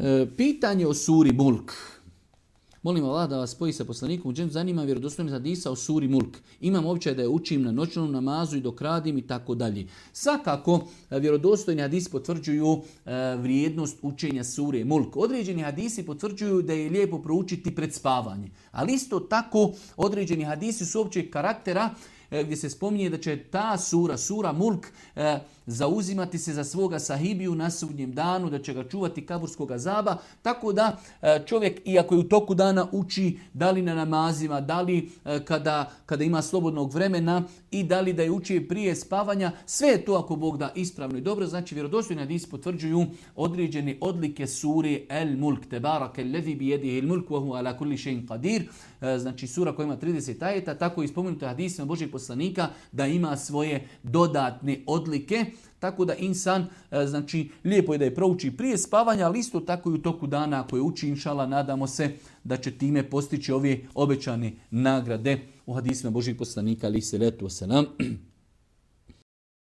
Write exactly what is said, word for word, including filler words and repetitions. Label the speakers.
Speaker 1: E, pitanje o suri Mulk. Molim Allah da vas spoji sa poslanikom. Uđem zanima vjerodostojnost hadisa o suri Mulk. Imam običaj da je učim na noćnom namazu i dok radim i tako dalje. Svakako vjerodostojni hadisi potvrđuju e, vrijednost učenja sure Mulk. Određeni hadisi potvrđuju da je lijepo proučiti pred spavanje. Ali isto tako određeni hadisi su općeg karaktera gdje se spominje da će ta sura, sura Mulk, e, zauzimati se za svoga sahibiju na sudnjem danu, da će ga čuvati kaburskog azaba, tako da e, čovjek, iako je u toku dana uči, da li na namazima, da li e, kada, kada ima slobodnog vremena i da li da je uči prije spavanja, sve je to ako Bog da ispravno i dobro. Znači vjerodostojni hadisi potvrđuju određene odlike sure El Mulk, tebaraka allazi bi yadihi al mulk wa huwa ala kulli shay'in qadir. E, znači sura koja ima trideset ajeta, tako i spomenuto hadisima Božjeg poslanika da ima svoje dodatne odlike. Tako da insan, znači, lijepo je da je prouči prije spavanja, ali isto tako i u toku dana ako je uči, inšala, nadamo se da će time postići ove obećane nagrade u hadisima Božjih poslanika, ali se letu se nam.